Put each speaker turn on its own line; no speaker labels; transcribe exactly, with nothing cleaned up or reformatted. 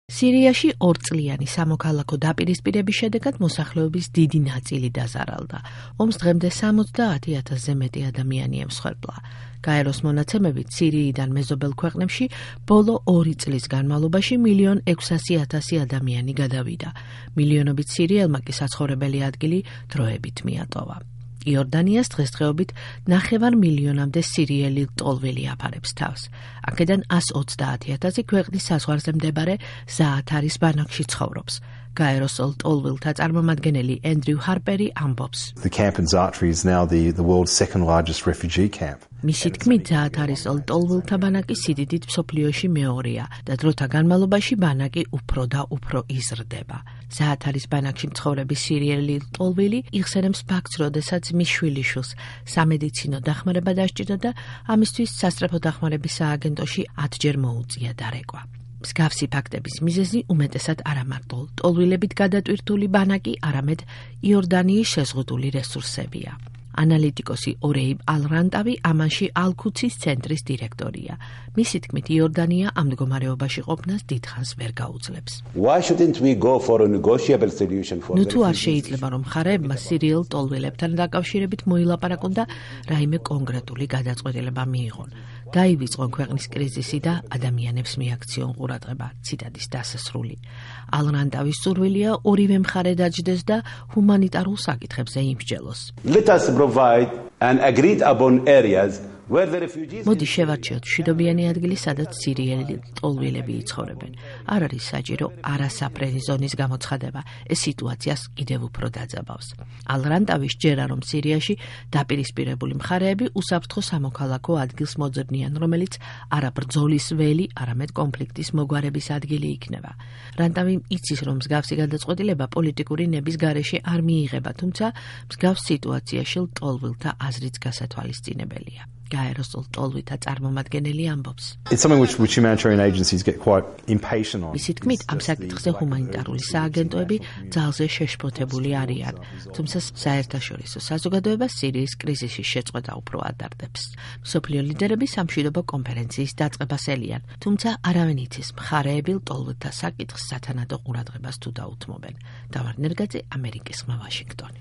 სირიაში ორწლიანი სამოქალაქო დაპირისპირების შედეგად მოსახლეობის დიდი ნაწილი დაზარალდა. ომს დღემდე სამოცდაათი ათასზე მეტი ადამიანი ემსხვერპლა. გაეროს მონაცემებით სირიიდან მეზობელ ქვეყნებში ბოლო ორი წლის განმავლობაში მილიონ ექვსასი ათასი ადამიანი გადავიდა. მილიონობით სირიელმა კი საცხოვრებელი ადგილი დროებით მიატოვა. იორდანიას დღესდღეობით ნახევარ მილიონამდე სირიელი ლტოლვილი აფარებს თავს. აქედან ას ოცდაათი ათასი ქვეყნის საზღვარზე მდებარე ზაათარის ბანაკში ცხოვრობს. გაეროს ლტოლვილთა წარმომადგენელი ენდრიუ ჰარპერი ამბობს.
The camp in Zaatari is now the, the world's second largest refugee camp.
მისი თქმით, ზაათარის ლტოლვილთა ბანაკი სიდიდით მსოფლიოში მეორეა და დროთა განმავლობაში ბანაკი უფრო და უფრო იზრდება. ზაათარის ბანაკში მცხოვრები სირიელი ლტოლვილი იხსენებს ფაქტს, როდესაც მის შვილიშვილს სამედიცინო დახმარება დასჭირდა და ამისთვის სასწრაფო დახმარების სააგენტოში ათჯერ მოუწია დარეკვა. მსგავსი ფაქტების მიზეზი უმეტესად არა მარტო ლტოლვილებით გადატვირთული ბანაკი, არამედ იორდანიის შეზღუდული რესურსებია. ანალიტიკოსი ორეიბ ალ-რანტავი ამანში ალ-ქუცის ცენტრის დირექტორია. მისი თქმით, იორდანია ამ მდგომარეობაში ყოფნას დიდხანს ვერ გაუძლებს.
Why shouldn't we go for a negotiable solution for
ნუ თუ არ შეიძლება, რომ მხარეებმა სირიელ ლტოლვილებთან დაკავშირებით მოილაპარაკონ და რაიმე კონკრეტული გადაწყვეტილება მიიღონ. დაივიწყონ ქვეყნის კრიზისი და ადამიანებს მიაქციონ ყურადღება. ციტადის დასასრული. ალ-რანტავის სურვილია ორივე მხარე დაჯდეს და ჰუმანიტარულ საკითხებზე იმსჯელოს.
Let us provide and agreed upon areas where the refugees
მოდი შევარჩიოთ მშვიდობიანი ადგილი, სადაც სირიელი ლტოლვილები იცხოვრებენ. არ არის საჭირო არასაფრენი ზონის გამოცხადება. ეს სიტუაციას კიდევ უფრო დაძაბავს. ალ-რანტავის ჯერა, რომ სირიაში დაპირისპირებული მხარეები უსაფრთხო სამოქალაქო ადგილს მოძებნიან, რომელიც არა ბრძოლის ველი, არამედ კონფლიქტის მოგვარების ადგილი იქნება. რანტავი იცის, რომ მსგავსი გადაწყვეტილება პოლიტიკური ნების გარეშე არ მიიღება, თუმცა მსგავს სიტუაციაში ლტოლვილთა აზრიც გასათვალისწინებელია. გაეროს ლტოლვილთა წარმომადგენელი ამბობს.
It's something which, which humanitarian agencies get quite impatient on.
მისი თქმით, ამ საკითხზე ჰუმანიტარული სააგენტოები ძალზე შეშფოთებული არიან, თუმცა საერთაშორისო საზოგადოება სირიის კრიზისის შეწყვეტა უფრო ადარდებს. მსოფლიო ლიდერები სამშვიდობო კონფერენციის დაწყებას ელიან, თუმცა არავინ იცის მხარეები ლტოლვილთა საკითხს სათანადო ყურადღებას თუ დაუთმობენ. დავარ ნერგაძე, ამერიკის ხმა, ვაშინგტონი.